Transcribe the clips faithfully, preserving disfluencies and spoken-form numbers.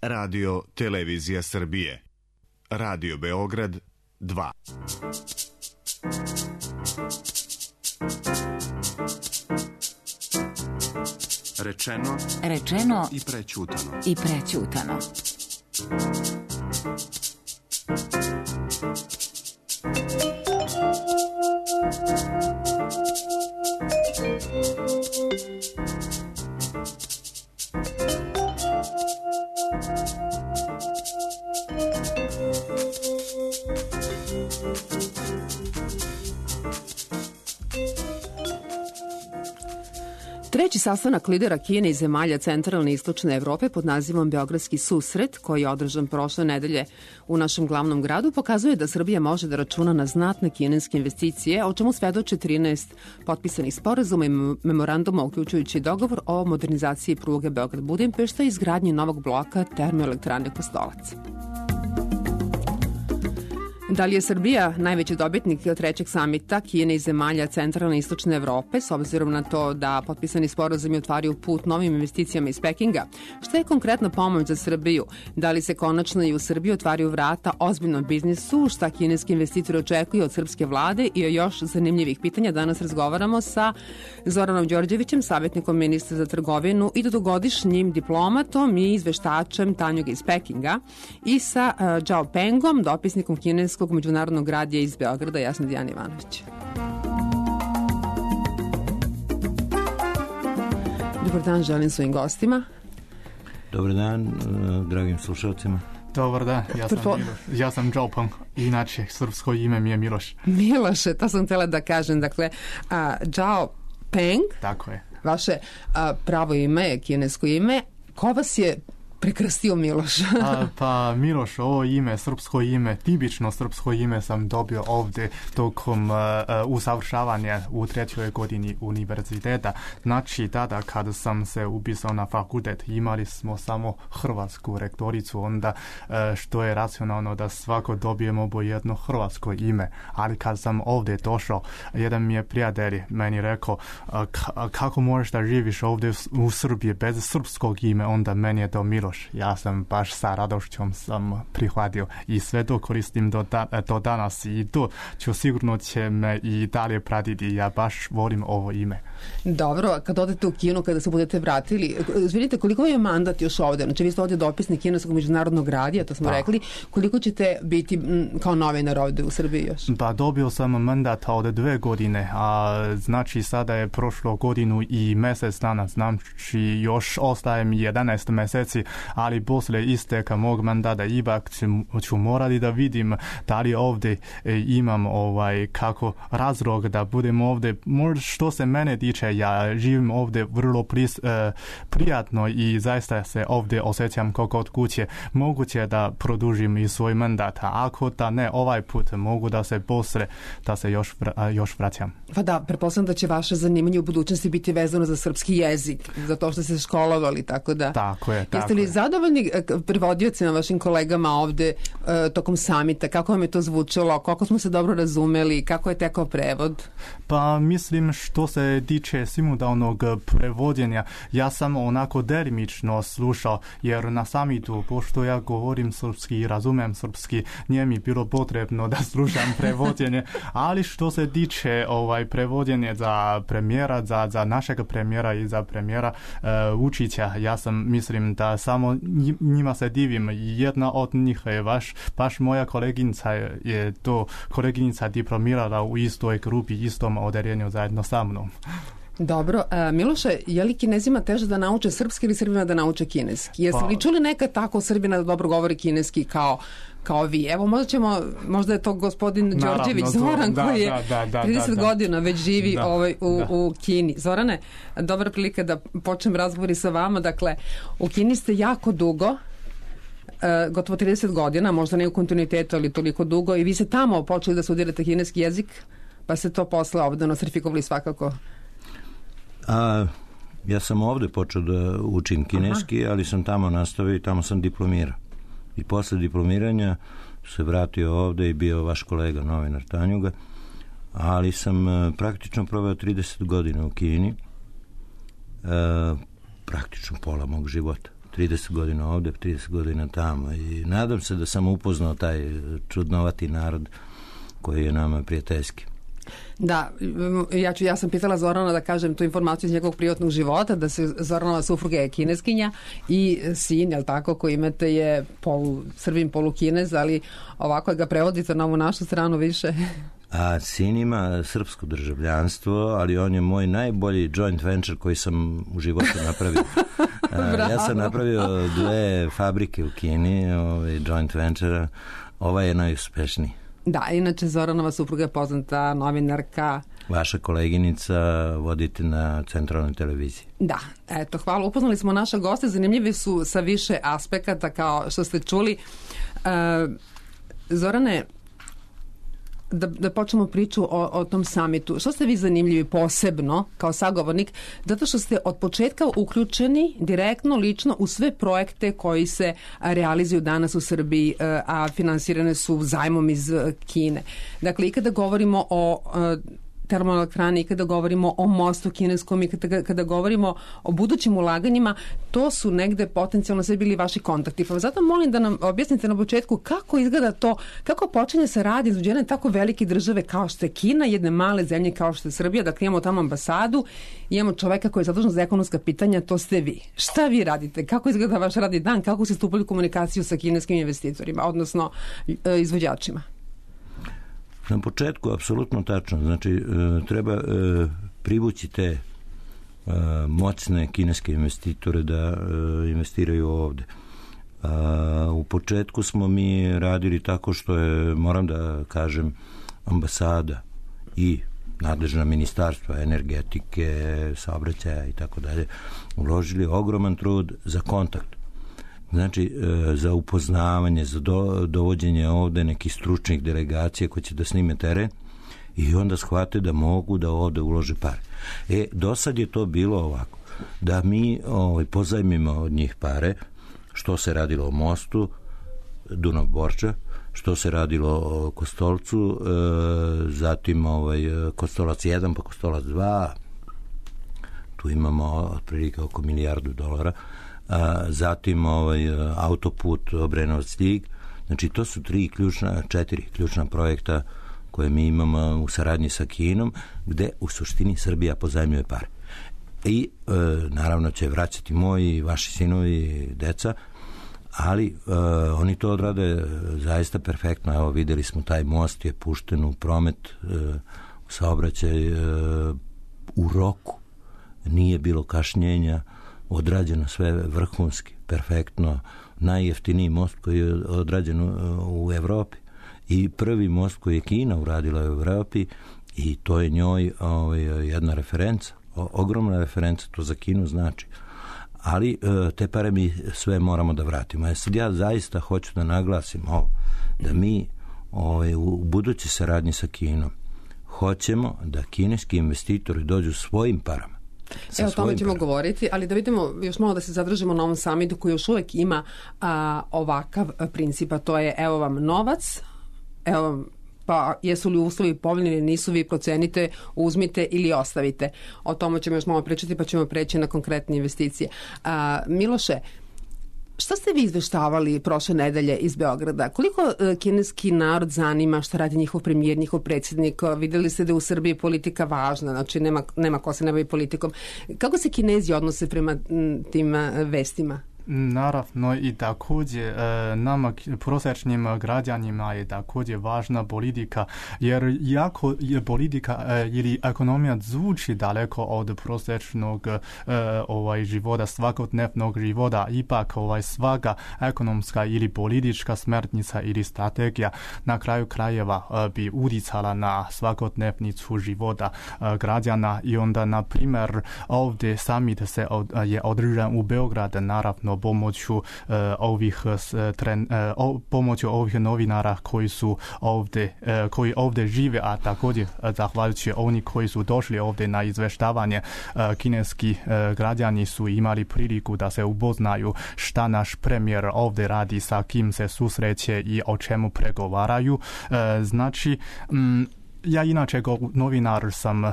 Radio Televizija Srbije. Radio Beograd dva. Rečeno, Rečeno i prećutano. I prećutano. Treći sastanak lidera Kine i zemalja centralne i istočne Evrope pod nazivom Beogradski susret, koji je održan prošle nedelje u našem glavnom gradu, pokazuje da Srbija može da računa na znatne kineske investicije, o čemu svedoče trinaest potpisanih sporazuma i memoranduma, uključujući dogovor o modernizaciji pruge Beograd-Budimpešta i izgradnji novog bloka termoelektrane Kostolac. Da li je Srbija najveći dobitnik trećeg samita Kine i zemalja centralne i istočne Evrope, s obzirom na to da potpisani sporazumi otvaraju put novim investicijama iz Pekinga? Šta je konkretna pomoć za Srbiju? Da li se konačno i u Srbiji otvaraju vrata ozbiljnom biznisu? Šta kineski investitori očekuju od srpske vlade? I o još zanimljivih pitanja danas razgovaramo sa Zoranom Đorđevićem, savjetnikom ministra za trgovinu i dugogodišnjim diplomatom i izveštačem Tanjuga iz Pekinga, i sa uh, Zhao Pengom, dopisnikom kineskog međunarodnog radija iz Beograda. Ja sam Dijana Ivanović. Dobar dan, želim svojim gostima. Dobar dan, dragim slušalcima. Dobar dan, ja sam Prvo... Miloš. Ja sam Zhao Peng, inače srpsko ime mi je Miloš. Miloše, to sam htjela da kažem. Dakle, a, Zhao Peng, tako je. Vaše a, pravo ime je kinesko ime. Ko vas je prekrstio Miloš? A, pa Miloš, ovo ime, srpsko ime, tipično srpsko ime sam dobio ovdje tokom uh, usavršavanja u trećoj godini univerziteta. Znači, tada kada sam se upisao na fakultet, imali smo samo hrvatsku rektoricu, onda uh, što je racionalno da svako dobijemo po jedno hrvatsko ime. Ali kad sam ovdje došao, jedan mi je prijatelj meni rekao, uh, k- kako možeš da živiš ovdje u Srbiji bez srpskog ime, onda meni je to Miloš. Ja sam baš sa radošćom sam prihvatio i sve to koristim do, da, do danas i to ću sigurno će me i dalje pratiti. Ja baš volim ovo ime. Dobro, kad odete u Kinu, kada se budete vratili, izvinite, koliko je mandat još ovdje? Znači, vi ste ovdje dopisnik kineskog međunarodnog radija, to smo da. rekli. Koliko ćete biti m, kao novinar ovdje u Srbiji još? Pa dobio sam mandat od dve godine, a znači sada je prošlo godinu i mjesec dana, znači još ostaje mi jedanaest mjeseci, ali poslije isteka mog mandata ipak ću, ću morati da vidim da li ovdje e, imam ovaj kako razlog da budem ovdje. Možda što se mene tiče, ja živim ovdje vrlo pris, e, prijatno i zaista se ovdje osjećam kao kod kuće. Moguće da produžim i svoj mandat, a ako da ne ovaj put mogu da se poslije da se još, vra, još vraćam. Pa da, pretpostavljam da će vaše zanimanje u budućnosti biti vezano za srpski jezik, za to što ste školovali, tako da... Tako je, tako Jeste li je. zadovoljni prevodiocima, vašim kolegama ovde uh, tokom samita? Kako vam je to zvučalo? Koliko smo se dobro razumeli? Kako je tekao prevod? Pa mislim što se tiče simultanog prevođenja, ja sam onako delimično slušao, jer na samitu, pošto ja govorim srpski i razumem srpski, nije mi bilo potrebno da slušam prevođenje, ali što se tiče ovaj prevođenje za premijera, za, za našeg premijera i za premijera uh, Vučića, ja sam mislim da samo njima se divim. Jedna od njih je baš, baš moja koleginica je to koleginica diplomirala u istoj grupi, istom odeljenju zajedno sa mnom. Dobro, a, Miloše, je li Kinezima teže da nauče srpski ili Srbima da nauče kineski? Jeste pa, li čuli nekad tako Srbina da dobro govori kineski kao kao vi? Evo, možda ćemo, možda je to gospodin naravno, Đorđević Zoran, da, koji je da, da, trideset da, da. godina već živi da, ovaj, u, da. u Kini. Zorane, dobra prilika da počnem razgovori sa vama. Dakle, u Kini ste jako dugo, Uh, gotovo trideset godina, možda ne u kontinuitetu, ali toliko dugo, i vi ste tamo počeli da studirate kineski jezik, pa se to posle ovdje nostrifikovali svakako. A, ja sam ovdje počeo da učim kineski, Aha. ali sam tamo nastavio i tamo sam diplomirao. I posle diplomiranja se vratio ovdje i bio vaš kolega, novinar Tanjuga, ali sam uh, praktično proveo trideset godina u Kini, uh, praktično pola mog života. trideset godina ovde, trideset godina tamo i nadam se da sam upoznao taj čudnovati narod koji je nama prijateljski. Da, ja, ću, ja sam pitala Zorana da kažem tu informaciju iz njegovog privatnog života, da se Zoranova supruga je kineskinja i sin, jel tako, koji imate je polu Srbin, polu Kinez, ali ovako ga prevodite na ovu našu stranu više. A sin ima srpsko državljanstvo, ali on je moj najbolji joint venture koji sam u životu napravio. A, ja sam napravio dve fabrike u Kini, ovaj, joint venture, ova je najuspešniji. Da, inače Zoranova supruga je poznata novinarka. Vaša koleginica vodite na centralnoj televiziji. Da, eto, hvala. Upoznali smo naša goste, zanimljivi su sa više aspekata kao što ste čuli. Uh, Zorane, Da, da počnemo priču o, o tom samitu. Što ste vi zanimljivi posebno kao sagovornik? Zato što ste od početka uključeni direktno, lično u sve projekte koji se realizuju danas u Srbiji, a finansirane su zajmom iz Kine. Dakle, i kada govorimo o termoelektrani, i kada govorimo o mostu kineskom i kada, kada govorimo o budućim ulaganjima, to su negde potencijalno sve bili vaši kontakti. Pa zato molim da nam objasnite na početku kako izgleda to, kako počinje se radi između jedne tako velike države kao što je Kina, jedne male zemlje kao što je Srbija, dakle imamo tamo ambasadu, imamo čoveka koji je zadužen za ekonomska pitanja, to ste vi. Šta vi radite? Kako izgleda vaš radni dan? Kako ste stupili u komunikaciju sa kineskim investitorima, odnosno izvođačima? Na početku, apsolutno tačno. Znači, treba privući te moćne kineske investitore da investiraju ovde. U početku smo mi radili tako što je, moram da kažem, ambasada i nadležna ministarstva energetike, saobraćaja i tako dalje, uložili ogroman trud za kontakt. Znači, za upoznavanje, za do, dovođenje ovde nekih stručnih delegacija koji će da snime teren i onda shvate da mogu da ovde ulože pare. E, do sad je to bilo ovako, da mi ovaj, pozajmimo od njih pare, što se radilo o mostu, Dunav-Borča, što se radilo o Kostolcu, e, zatim ovaj, Kostolac jedan pa Kostolac dva, tu imamo otprilike oko milijardu dolara, a, zatim ovaj, autoput Obrenovac-Ljig. Znači, to su tri ključna, četiri ključna projekta koje mi imamo u saradnji sa Kinom, gde u suštini Srbija pozajmljuje pare. I e, naravno će vraćati moji, vaši sinovi, deca, ali e, oni to odrade zaista perfektno. Evo, videli smo, taj most je pušten u promet, e, u saobraćaj e, u roku. Nije bilo kašnjenja, odrađeno sve vrhunski, perfektno, najjeftiniji most koji je odrađen u Evropi i prvi most koji je Kina uradila u Evropi i to je njoj ovaj, jedna referenca, o, ogromna referenca, to za Kinu znači. Ali te pare mi sve moramo da vratimo. Ja sad ja zaista hoću da naglasim ovo, da mi ovaj, u budući saradnji sa Kinom hoćemo da kineski investitori dođu svojim parama. Evo, o tome ćemo govoriti, ali da vidimo još malo da se zadržimo na ovom samitu koji još uvek ima a, ovakav princip, a to je evo vam novac, evo vam, pa jesu li uslovi povoljni ili nisu, vi procenite, uzmite ili ostavite. O tome ćemo još malo pričati, pa ćemo preći na konkretne investicije. A, Miloše, šta ste vi izveštavali prošle nedelje iz Beograda? Koliko uh, kineski narod zanima šta radi njihov premijer, njihov predsjednik? Videli ste da je u Srbiji politika važna, znači nema, nema ko se ne bavi politikom. Kako se Kinezi odnose prema m, tim uh, vestima? Naravno i također nama prosječnim građanima je također važna politika, jer jako je politika ili ekonomija zvuči daleko od prosječnog ovaj života, svakodnevnog života, ipak ovaj svaka ekonomska ili politička smernica ili strategija na kraju krajeva bi utjecala na svakodnevnicu života građana i onda, na primjer, ovdje summit se od, je održan u Beogradu, naravno pomoću uh, ovih tren, uh, o, pomoću ovih novinara koji su ovdje uh, koji ovdje žive, a također uh, zahvaljujući oni koji su došli ovdje na izveštavanje, uh, kineski uh, građani su imali priliku da se upoznaju šta naš premijer ovdje radi, sa kim se susreće i o čemu pregovaraju. Uh, znači um, ja inače kao novinar sam uh,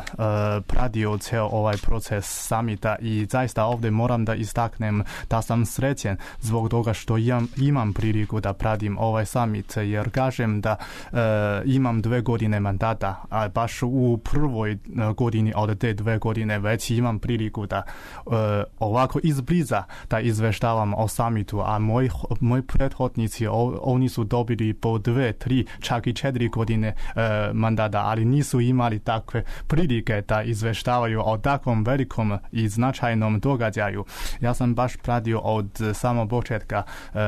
pratio cijel ovaj proces samita i zaista ovdje moram da istaknem da sam srećen zbog toga što imam, imam priliku da pratim ovaj samit, jer kažem da uh, imam dve godine mandata, a baš u prvoj godini od te dve godine već imam priliku da uh, ovako izbliza da izveštavam o samitu, a moji, moji prethodnici o, oni su dobili po dve, tri, čak i četiri godine uh, mandata, ali nisu imali takve prilike da izveštavaju o takvom velikom i značajnom događaju. Ja sam baš pratio od samog početka uh,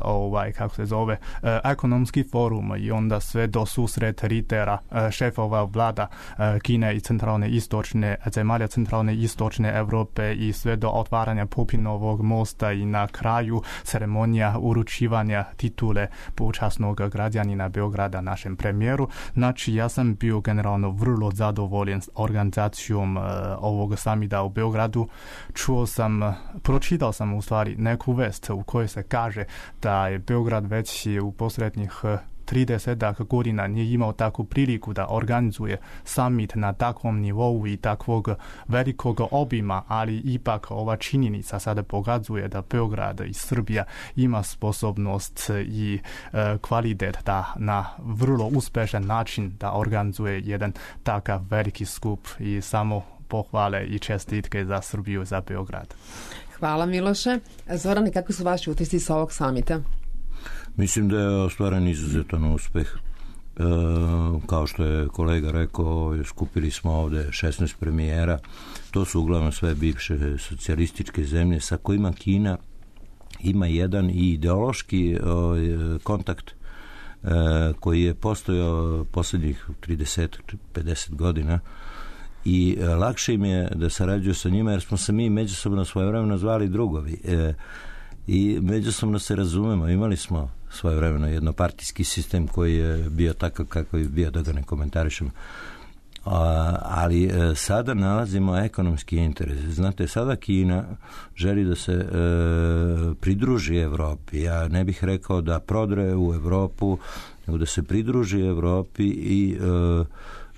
ovaj, kako se zove, uh, ekonomski forum i onda sve do susret lidera, uh, šefova vlada uh, Kine i centralne istočne, zemalja centralne istočne Evrope i sve do otvaranja Pupinovog mosta i na kraju ceremonija uručivanja titule počasnog građanina Beograda našem premijeru. Znači, ja sam bio generalno vrlo zadovoljen s organizacijom uh, ovog samita u Beogradu. Čuo sam, pročitao sam u stvari neku vest u kojoj se kaže da je Beograd već u posljednjih uh, trideset godina nije imao takvu priliku da organizuje summit na takvom nivou i takvog velikog obima, ali ipak ova činjenica sada pokazuje da Beograd i Srbija ima sposobnost i e, kvalitet da na vrlo uspešan način da organizuje jedan takav veliki skup i samo pohvale i čestitke za Srbiju, za Beograd. Hvala Miloše. Zorane, kakvi su vaši utisci sa ovog samita? Mislim da je ostvaren izuzetan uspeh. E, kao što je kolega rekao, skupili smo ovde šesnaest premijera. To su uglavnom sve bivše socijalističke zemlje sa kojima Kina ima jedan i ideološki o, kontakt e, koji je postojao posljednjih trideset do pedeset godina i e, lakše im je da sarađuju sa njima jer smo se mi međusobno svojevremeno zvali drugovi. E, i međusobno se razumemo. Imali smo svojevremeno jednopartijski sistem koji je bio takav kakav je bio, da ga ne komentarišemo. A, ali e, sada nalazimo ekonomski interes. Znate, sada Kina želi da se e, pridruži Evropi. Ja ne bih rekao da prodre u Evropu, nego da se pridruži Evropi i e,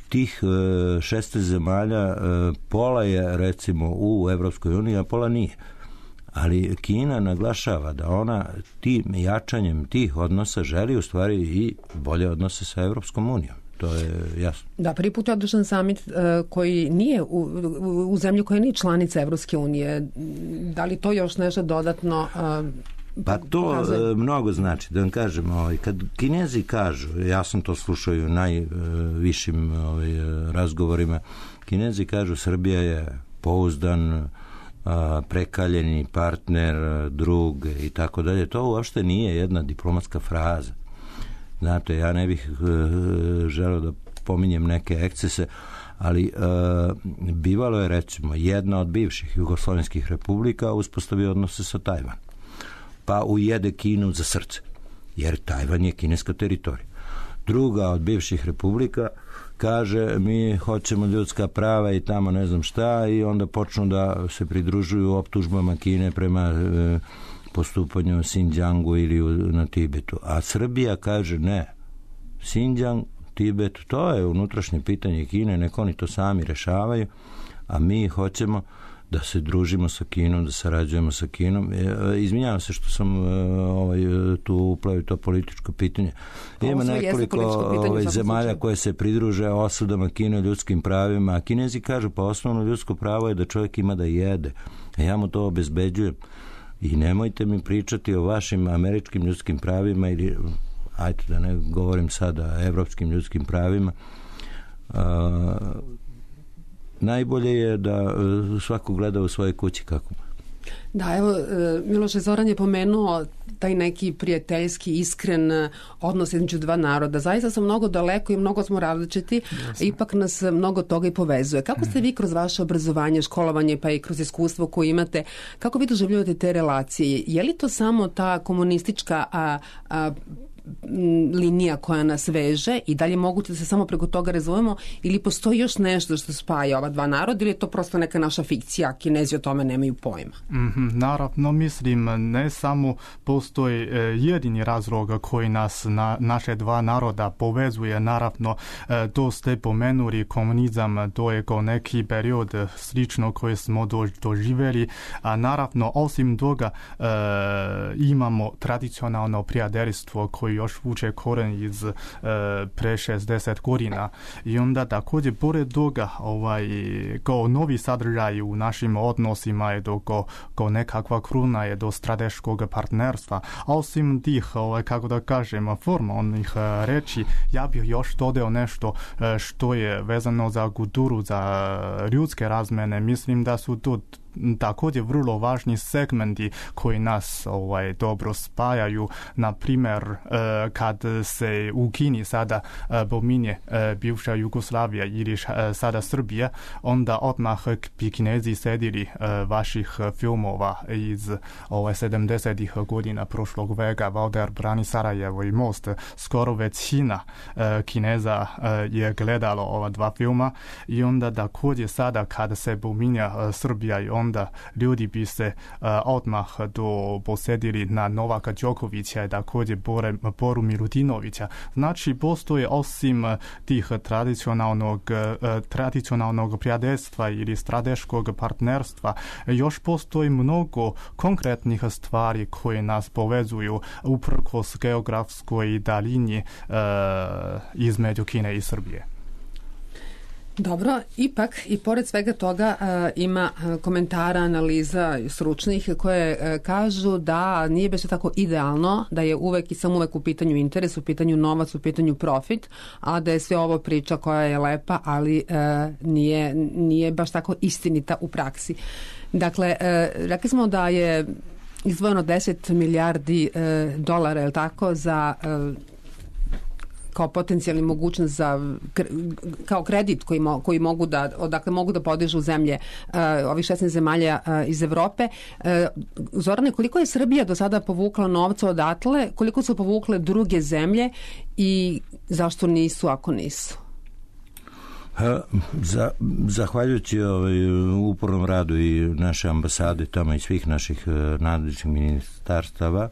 tih e, šesnaest zemalja e, pola je recimo u Evropskoj uniji, a pola nije. Ali Kina naglašava da ona tim jačanjem tih odnosa želi u stvari i bolje odnose sa Evropskom unijom. To je jasno. Da, prvi put je održan samit uh, koji nije u, u, u zemlji koja nije članica Evropske unije. Da li to još nešto dodatno uh, Pa to uh, mnogo znači. Da vam kažem, ovaj, kad Kinezi kažu, ja sam to slušao i u najvišim ovaj, razgovorima, Kinezi kažu Srbija je pouzdan, prekaljeni partner, drug i tako dalje. To uopšte nije jedna diplomatska fraza. Znate, ja ne bih uh, želeo da pominjem neke ekscese, ali uh, bivalo je recimo jedna od bivših jugoslovenskih republika uspostavi odnose sa Tajvan. Pa ujede Kinu za srce, jer Tajvan je kineska teritorija. Druga od bivših republika kaže mi hoćemo ljudska prava i tamo ne znam šta i onda počnu da se pridružuju optužbama Kine prema e, postupanju u Xinjiangu ili u, na Tibetu. A Srbija kaže ne, Xinjiang, Tibet, to je unutrašnje pitanje Kine, nek oni to sami rešavaju, a mi hoćemo da se družimo sa Kinom, da sarađujemo sa Kinom. E, izvinjavam se što sam ovaj, tu uplavio to političko pitanje. Ima nekoliko ovaj, zemalja koje se pridruže osudama Kine ljudskim pravima, a Kinezi kažu pa osnovno ljudsko pravo je da čovjek ima da jede. A ja mu to obezbeđujem. I nemojte mi pričati o vašim američkim ljudskim pravima ili, ajde da ne govorim sada, evropskim ljudskim pravima. A, najbolje je da svako gleda u svojoj kući kako. Da, evo, Miloše, Zoran je pomenuo taj neki prijateljski, iskren odnos između dva naroda. Zaista smo mnogo daleko i mnogo smo različiti, Jasne. Ipak nas mnogo toga i povezuje. Kako ste vi kroz vaše obrazovanje, školovanje, pa i kroz iskustvo koje imate, kako vi doživljavate te relacije? Je li to samo ta komunistička a, a, linija koja nas veže i da li je moguće da se samo preko toga razvojimo ili postoji još nešto što spaja ova dva naroda ili je to prosto neka naša fikcija, Kinezi o tome nemaju pojma? Mm-hmm, naravno, mislim, ne samo postoji e, jedini razlog koji nas, na, naše dva naroda povezuje, naravno, e, to ste pomenuli komunizam, to je kao neki period slično koji smo do, doživjeli, a naravno, osim toga, e, imamo tradicionalno prijateljstvo koji još vuče koren iz e, pre šezdeset godina i onda također pored toga ovaj, kao novi sadržaj u našim odnosima je do kao, kao nekakva kruna je do strateškog partnerstva. A osim tih, ovaj, kako da kažem, formalnih reči, ja bih još dodao nešto što je vezano za kulturu, za ljudske razmene. Mislim da su to također vrlo važni segmenti koji nas ovaj, dobro spajaju. Na primjer, eh, kad se u Kini sada eh, pominje eh, bivša Jugoslavija ili eh, sada Srbija, onda odmah bi Kinezi sedili eh, vaših filmova iz ovaj, sedamdesetih godina prošlog veka, Valder brani Sarajevo i Most. Skoro većina eh, Kineza eh, je gledalo ova dva filma i onda također sada kada se pominja eh, Srbija i onda ljudi bi se uh, odmah do posjedili na Novaka Đokovića i također Bore, Boru Milutinovića. Znači, postoje osim tih tradicionalnog, uh, tradicionalnog prijateljstva ili strateškog partnerstva, još postoji mnogo konkretnih stvari koje nas povezuju uprkos geografskoj daljini uh, između Kine i Srbije. Dobro, ipak i pored svega toga uh, ima komentara, analiza stručnih koje uh, kažu da nije baš tako idealno, da je uvek i samo uvek u pitanju interes, u pitanju novac, u pitanju profit, a da je sve ovo priča koja je lepa, ali uh, nije, nije baš tako istinita u praksi. Dakle, uh, rekli smo da je izdvojeno deset milijardi uh, dolara, je li tako, za uh, kao potencijalni mogućnost za kao kredit koji, mo, koji mogu da odakle mogu da podižu zemlje uh, ovih šesnaest zemalja uh, iz Evrope. Uh, Zorane, koliko je Srbija do sada povukla novca odatle, koliko su povukle druge zemlje i zašto nisu ako nisu? Ha, za, zahvaljujući ovaj, upornom radu i naše ambasade tamo i svih naših uh, nadležnih ministarstava,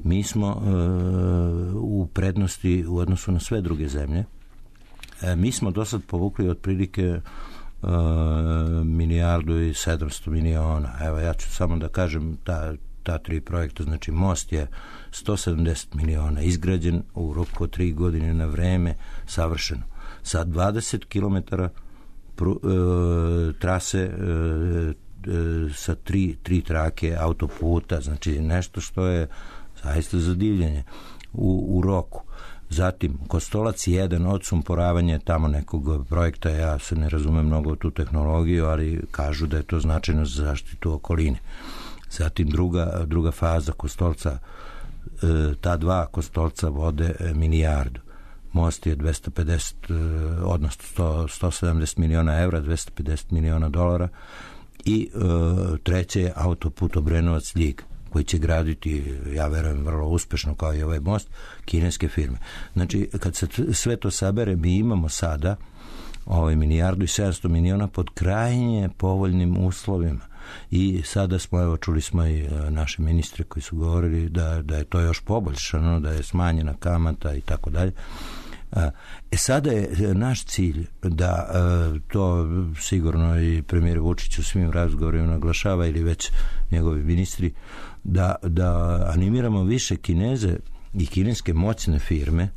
mi smo e, u prednosti u odnosu na sve druge zemlje. E, mi smo do sad povukli otprilike e, milijardu i sedamsto miliona. Evo, ja ću samo da kažem ta, ta tri projekta. Znači, most je sto sedamdeset miliona, izgrađen u roku od tri godine na vreme, savršeno. Sa dvadeset kilometara pru, e, trase e, sa tri, tri trake autoputa, znači nešto što je zaista za divljenje u, u roku. Zatim, Kostolac jedan, odsumporavanje tamo nekog projekta, ja se ne razumem mnogo u tu tehnologiju, ali kažu da je to značajno za zaštitu okoline. Zatim, druga, druga faza Kostolca, ta dva Kostolca vode milijardu. Most je dvesta pedeset, odnosno sto, sto sedamdeset miliona evra, dvesta pedeset miliona dolara. I e, treće je autoput Obrenovac-Ljig, koji će graditi, ja verujem, vrlo uspešno kao i ovaj most, kineske firme. Znači, kad se sve to sabere, mi imamo sada ovaj milijardu i sedamsto miliona pod krajnje povoljnim uslovima. I sada smo, evo, čuli smo i naše ministre koji su govorili da, da je to još poboljšano, da je smanjena kamata i tako dalje. E sada je naš cilj da to sigurno i premijer Vučić u svim razgovorima naglašava ili već njegovi ministri da, da animiramo više Kineze i kineske moćne firme.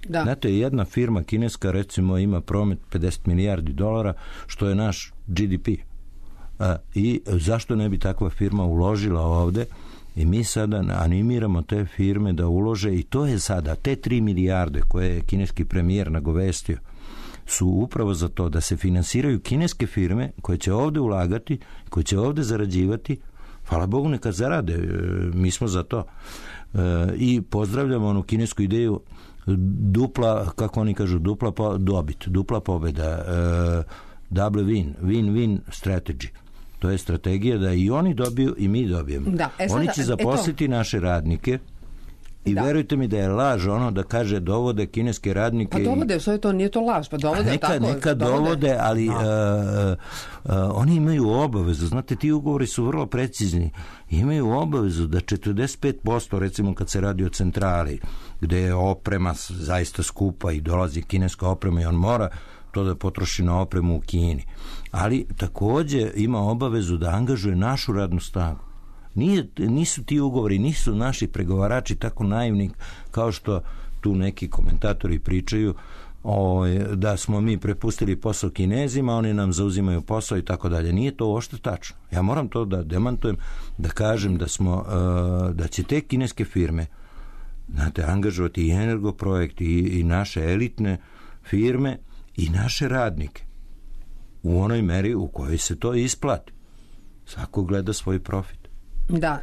Da. Znate, jedna firma kineska recimo ima promet pedeset milijardi dolara, što je naš G D P. I zašto ne bi takva firma uložila ovde? I mi sada animiramo te firme da ulože i to je sada, te tri milijarde koje je kineski premijer nagovestio su upravo za to da se finansiraju kineske firme koje će ovde ulagati, koje će ovde zarađivati. Hvala Bogu, neka zarade, mi smo za to. I pozdravljamo onu kinesku ideju dupla, kako oni kažu, dupla po, dobit, dupla pobeda, double win, win-win strategy. To je strategija da i oni dobiju i mi dobijemo. Da, e sada, oni će zaposliti naše radnike I da. verujte mi da je laž ono da kaže dovode kineske radnike. Pa dovode, sve to nije to laž, pa dovode neka, tako. Neka dovode, dovode ali uh, uh, oni imaju obavezu, znate, ti ugovori su vrlo precizni, imaju obavezu da četrdeset pet posto, recimo kad se radi o centrali, gde je oprema zaista skupa i dolazi kineska oprema i on mora to da potroši na opremu u Kini. Ali takođe ima obavezu da angažuje našu radnu snagu. Nije, nisu ti ugovori, nisu naši pregovarači tako naivni kao što tu neki komentatori pričaju o, da smo mi prepustili posao Kinezima, oni nam zauzimaju posao i tako dalje. Nije to uopšte tačno. Ja moram to da demantujem, da kažem da smo, da će te kineske firme, znate, angažovati i Energoprojekt i, i naše elitne firme i naše radnike u onoj meri u kojoj se to isplati. Svako gleda svoj profit. Da,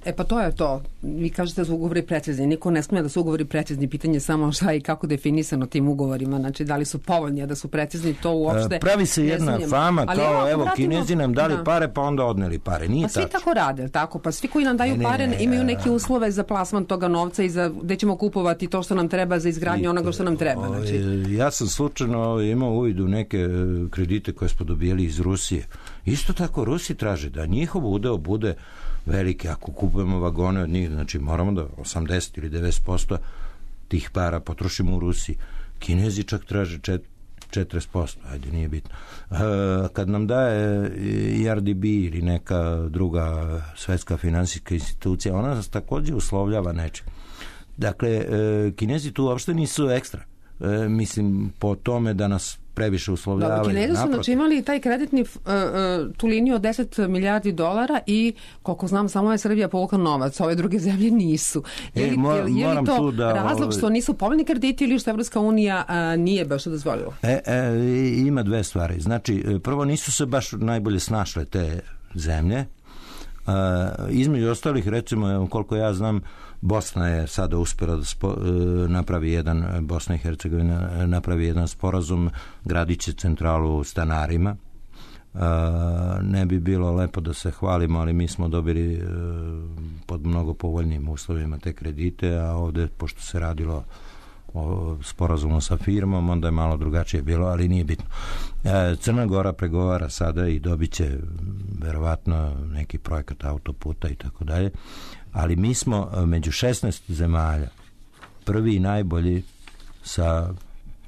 e pa to je to. Vi kažete da su ugovori precizni. Niko ne smije da su ugovori precizni. Pitanje je samo šta i kako definisano tim ugovorima. Znači, da li su povoljni, a da su precizni, to uopšte... Pravi se jedna fama ali kao, evo, evo, vratimo, Kinezi nam dali da. pare, pa onda odneli pare. Nije pa svi tačno. tako rade, tako? Pa svi koji nam daju ne, pare ne, imaju neke uslove za plasman toga novca i za gde ćemo kupovati to što nam treba za izgradnju onoga što nam treba. Znači. Ja sam slučajno imao uvid u neke kredite koje smo dobijeli iz Rusije. Isto tako Rusi traže da njihov udeo bude velike, ako kupujemo vagone od njih, znači moramo da osamdeset ili devedeset posto tih para potrošimo u Rusiji. Kinezi čak traže četrdeset posto, ajde, nije bitno. Kad nam daje I R D B ili neka druga svetska finansijska institucija, ona nas takođe uslovljava nečim. Dakle, Kinezi tu uopšte nisu ekstra. Mislim, po tome da nas previše uslovljavaju. Dobro, Kinezi su znači imali taj kreditni uh, uh, tu liniju od deset milijardi dolara i koliko znam samo je Srbija povukla novac, ove druge zemlje nisu. Je li, e, mor, je li, je li to da, razlog što nisu povoljni krediti ili što Evropska unija uh, nije baš dozvolila? E, e, ima dve stvari. Znači, prvo nisu se baš najbolje snašle te zemlje. Uh, između ostalih, recimo, koliko ja znam, Bosna je sada uspela da spo, napravi jedan, Bosna i Hercegovina napravi jedan sporazum, gradit će centralu stanarima. Uh, ne bi bilo lepo da se hvalimo, ali mi smo dobili uh, pod mnogo povoljnim uslovima te kredite, a ovde, pošto se radilo o sporazumu sa firmom, onda je malo drugačije bilo, ali nije bitno. E, Crna Gora pregovara sada i dobit će verovatno neki projekat autoputa i tako dalje, ali mi smo među šesnaest zemalja prvi i najbolji sa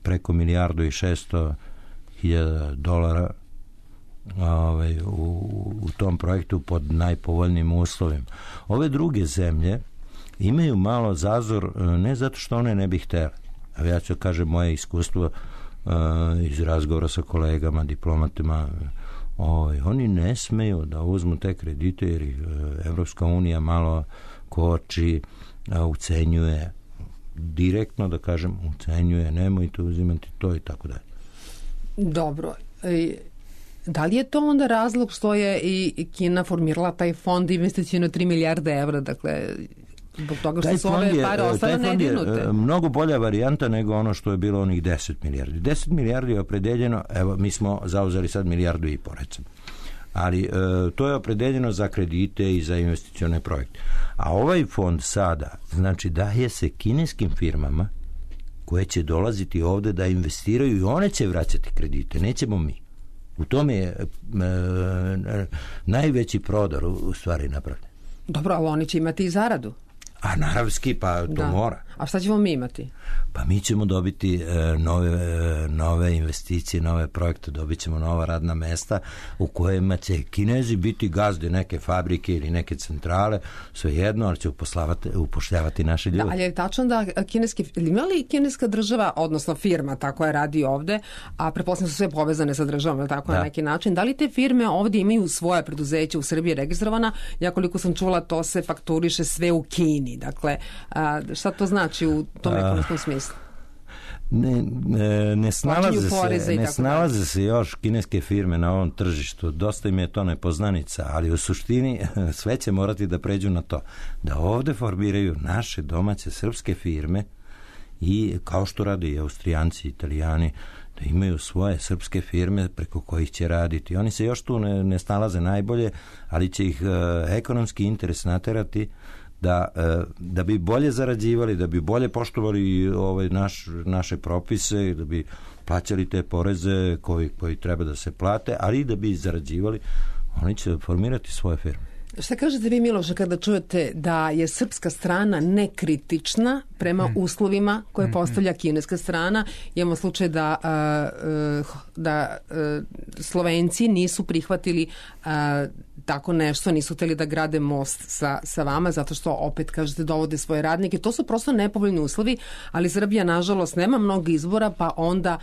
preko milijardu i šesto hiljada dolara ovaj, u, u tom projektu pod najpovoljnijim uslovima. Ove druge zemlje imaju malo zazor, ne zato što one ne bi htjeli. A ja ću kažem moje iskustvo uh, iz razgovora sa kolegama, diplomatima, ovaj, oni ne smeju da uzmu te kredite jer ih uh, Evropska unija malo koči, uh, ucenjuje, direktno da kažem, ucenjuje, nemojte uzimati to i tako dalje. Dobro. E, da li je to onda razlog što je i Kina formirala taj fond investicijno tri milijarde evra, dakle zbog toga što su ove pare ostale nedirnute? Je mnogo bolja varijanta nego ono što je bilo onih deset milijardi. deset milijardi je opredeljeno, evo mi smo zauzeli sad milijardu i po recimo. Ali e, to je opredeljeno za kredite i za investicione projekte. A ovaj fond sada, znači daje se kineskim firmama koje će dolaziti ovde da investiraju i one će vraćati kredite, nećemo mi. U tome je e, e, najveći prodor u, u stvari napravljen. Dobro, ali oni će imati i zaradu. A naravski, pa to da. mora. A šta ćemo mi imati? Pa mi ćemo dobiti e, nove, e, nove investicije, nove projekte, dobit ćemo nova radna mesta u kojima će Kinezi biti gazde neke fabrike ili neke centrale, svejedno, ali će upošljavati naše ljude. Da, ali je tačno da kineski, ima li kineska država, odnosno firma, tako je radi ovde, a pretpostavljam su sve povezane sa državom, tako da. Na neki način, da li te firme ovde imaju svoje preduzeće u Srbiji registrovana? Ja koliko sam čula, to se fakturiše sve u Kini. Dakle, a, šta to znači u tom ekonomskom smislu? Ne, ne, ne snalaze, se, ne snalaze se još kineske firme na ovom tržištu. Dosta im je to nepoznanica, ali u suštini sve će morati da pređu na to. Da ovde formiraju naše domaće srpske firme i kao što rade i Austrijanci, Italijani, da imaju svoje srpske firme preko kojih će raditi. Oni se još tu ne, ne snalaze najbolje, ali će ih uh, ekonomski interes naterati da, da bi bolje zarađivali, da bi bolje poštovali ovaj naš, naše propise, da bi plaćali te poreze koji, koji treba da se plate, ali i da bi zarađivali, oni će formirati svoje firme. Šta kažete vi, Miloše, kada čujete da je srpska strana nekritična prema uslovima koje postavlja kineska strana? Imamo slučaj da, da Slovenci nisu prihvatili tako nešto, nisu hteli da grade most sa, sa vama, zato što opet, kažete, dovode svoje radnike. To su prosto nepovoljni uslovi, ali Srbija, nažalost, nema mnogo izbora, pa onda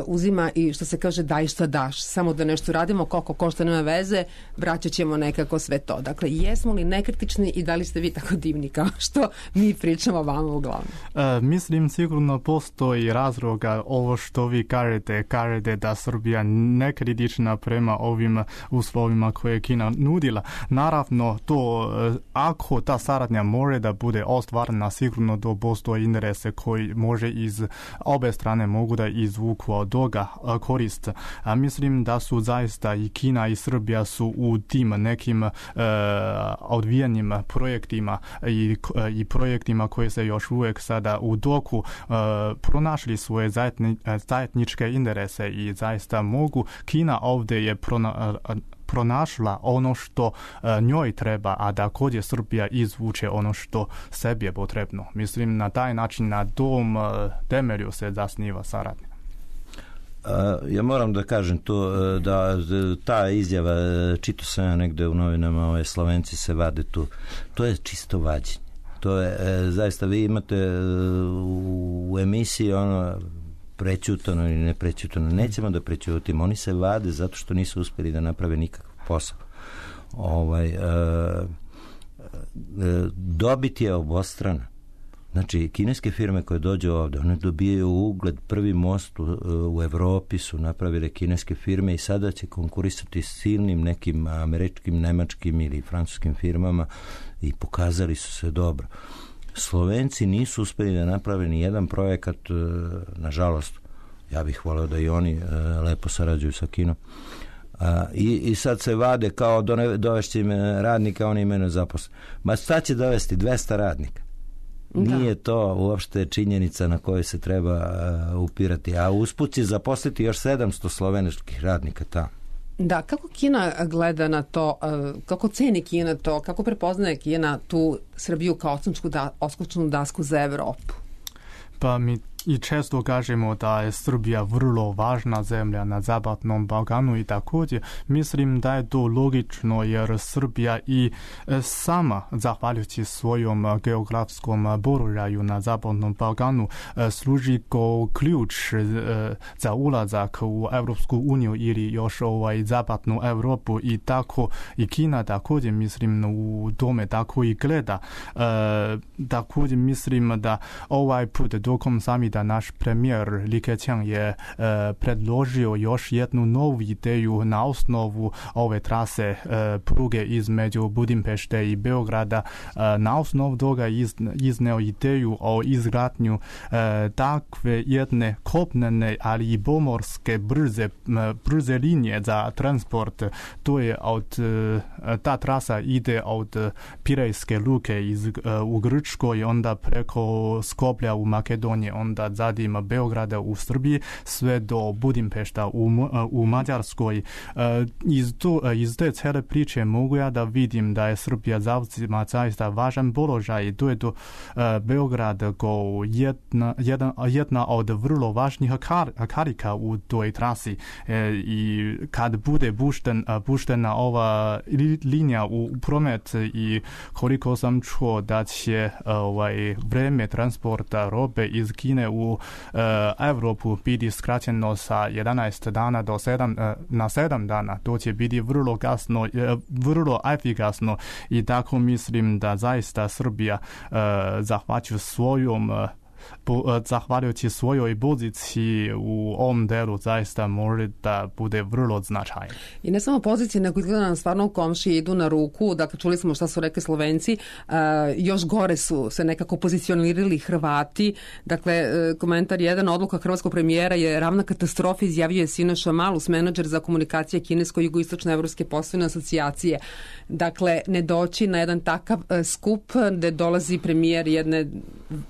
uzima i, što se kaže, daj šta daš. Samo da nešto radimo, koliko košta, nema veze, vraćat ćemo nekako sve to. Dakle, jesmo li nekritični i da li ste vi tako divni kao što mi pričamo vama uglavnom? E, mislim, sigurno postoji razloga ovo što vi kažete, kažete da Srbija nekritična prema ovim uslovima koje Kina nudila. Naravno, to ako ta saradnja može da bude ostvarena, sigurno da postoje interese koji može iz obe strane mogu da izvuku od toga korist. A mislim da su zaista i Kina i Srbija su u tim nekim uh, odvijenim projektima i, i projektima koji se još uvijek sada u toku uh, pronašli svoje zajedni, zajedničke interese i zaista mogu. Kina ovdje je prona, uh, pronašla ono što uh, njoj treba, a da kod je Srbija izvuče ono što sebi je potrebno. Mislim, na taj način, na tom uh, temelju se zasniva saradnja. Ja moram da kažem to, da ta izjava, čito sam ja negde u novinama, ove Slovenci se vade tu, to je čisto vađenje. To je, zaista, vi imate u emisiji ono prećutano ili ne prećutano, nećemo da prećutimo, oni se vade zato što nisu uspjeli da naprave nikakav posao. Ovaj, e, e, dobit je obostrana. Znači, kineske firme koje dođu ovdje, one dobijaju ugled, prvi most u, u Evropi su napravile kineske firme i sada će konkurisati s silnim nekim američkim, nemačkim ili francuskim firmama i pokazali su se dobro. Slovenci nisu uspjeli da naprave ni jedan projekat, nažalost, ja bih voleo da i oni lepo sarađuju sa Kinom. A, i, i sad se vade kao dovešće im radnika, oni imaju zaposlen. Ma šta će dovesti? dvesta radnika. Nije to uopšte činjenica na kojoj se treba uh, upirati, a usput će zaposliti još sedamsto slovenačkih radnika tamo. Da, kako Kina gleda na to, uh, kako ceni Kina to, kako prepoznaje Kina tu Srbiju kao odskočnu da, odskočnu dasku za Evropu? Pa mi i često kažemo da je Srbija vrlo važna zemlja na zapadnom Balkanu i također mislim da je to logično jer Srbija i sama zahvaljujući svojom geografskom položaju na zapadnom Balkanu služi kao ključ za ulazak u Evropsku uniju ili još ovaj zapadnu Evropu i tako i Kina također mislim u tome tako i gleda. E, također mislim da ovaj put dokom samita da naš premijer Li Keqiang je e, predložio još jednu novu ideju na osnovu ove trase e, pruge između Budimpešte i Beograda. E, na osnovu toga iz, izneo ideju o izgradnju e, takve jedne kopnene, ali i pomorske brze, brze linije za transport. To je od, e, ta trasa ide od Pirejske luke iz, e, u Grčkoj, onda preko Skoplja u Makedoniji, onda zadim Beograda u Srbiji, sve do Budimpešta u, u Mađarskoj. Iz, to, iz te cele priče mogu ja da vidim da je Srbija zauzima zaista važan položaj. To je do Beograd kao jedna, jedna, jedna od vrlo važnih kar, karika u toj trasi. I kad bude pušten, puštena ova linija u promet i koliko sam čuo da će ovaj, vreme transporta robe iz Kine u uh, Evropu biti skraćeno sa jedanaest dana do sedam, uh, na sedam dana. To će biti vrlo gasno, uh, vrlo efikasno i tako mislim da zaista Srbija uh, zahvaća svojom uh, po, zahvaljujući svojoj poziciji u ovom delu zaista može da bude vrlo značajno. I ne samo pozicije, nego izgleda nam stvarno komšije idu na ruku. Dakle, čuli smo šta su rekli Slovenci. Uh, još gore su se nekako pozicionirali Hrvati. Dakle, komentar jedan, odluka hrvatskog premijera je ravna katastrofa, izjavio je Sinoša Malus, menadžer za komunikacije kinesko-jugoistočne evropske poslovne asocijacije. Dakle, ne doći na jedan takav uh, skup gde dolazi premijer jedne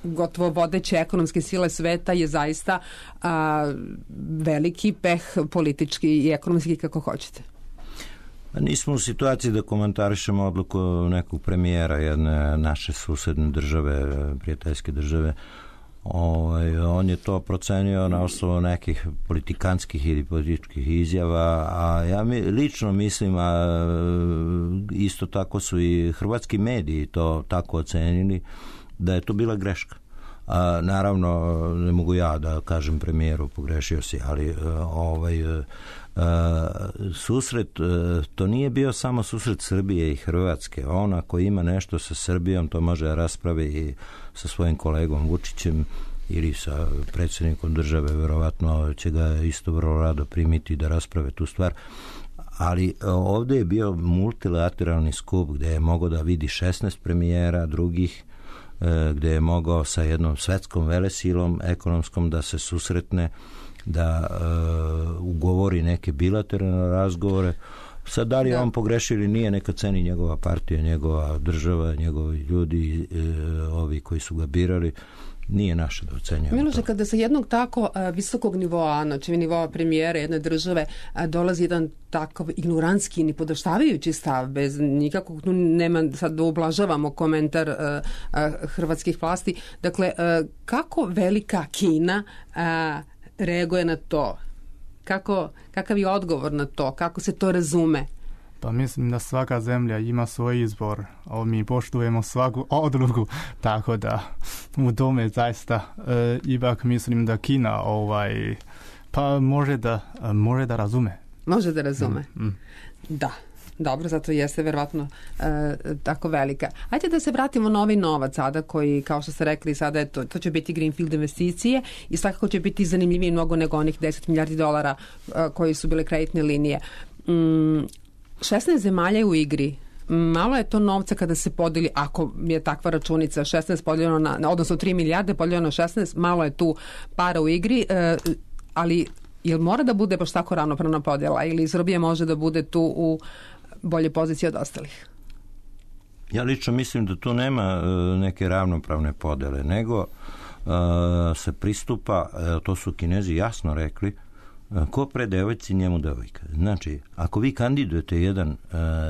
gotovo vodeće ekonomske sile sveta je zaista uh, veliki peh politički i ekonomski, kako hoćete. Nismo u situaciji da komentarišemo odluku nekog premijera jedne naše susedne države, prijateljske države. Ovaj, on je to procenio na osnovu nekih politikanskih ili političkih izjava, a ja mi, lično mislim, a isto tako su i hrvatski mediji to tako ocenili, da je to bila greška. A, naravno, ne mogu ja da kažem premijeru pogrešio si, ali ovaj, susret, to nije bio samo susret Srbije i Hrvatske. On ako ima nešto sa Srbijom, to može da raspravi i sa svojim kolegom Vučićem ili sa predsjednikom države, verovatno će ga isto vrlo rado primiti da rasprave tu stvar. Ali ovdje je bio multilateralni skup gdje je mogao da vidi šesnaest premijera drugih, gdje je mogao sa jednom svetskom velesilom ekonomskom da se susretne, da uh, ugovori neke bilateralne razgovore. Sad da li je on pogrešio ili nije, neka ceni njegova partija, njegova država, njegovi ljudi, uh, ovi koji su ga birali, nije naše da ocenjujemo. Miloše, kada sa jednog tako uh, visokog nivoa, znači nivoa premijera jedne države, uh, dolazi jedan takav ignorantski, ni podoštavajući stav, bez nikakvog, nema sad da ublažavamo komentar uh, uh, hrvatskih vlasti. Dakle, uh, kako velika Kina uh, reaguje na to? Kako, kakav je odgovor na to? Kako se to razume? Pa mislim da svaka zemlja ima svoj izbor, a mi poštujemo svaku odluku, tako da u tome zaista e, ipak mislim da Kina ovaj, pa može da, može da razume. Može da razume. Mm, mm. Da. Dobro, zato jeste verovatno e, tako velika. Hajde da se vratimo na ovaj novac sada koji, kao što ste rekli, sada je to, to će biti greenfield investicije i svakako će biti zanimljiviji mnogo nego onih deset milijardi dolara e, koji su bile kreditne linije. Mm, šesnaest zemalja je u igri. Malo je to novca kada se podeli, ako je takva računica, šesnaest podeljeno na, odnosno tri milijarde podeljeno na šesnaest, malo je tu para u igri, e, ali jel mora da bude baš tako ravnopravna podjela ili Srbija može da bude tu u bolje pozicije od ostalih? Ja lično mislim da tu nema uh, neke ravnopravne podele, nego uh, se pristupa, uh, to su Kinezi jasno rekli, uh, ko pre devojci njemu devojka. Znači, ako vi kandidujete jedan uh,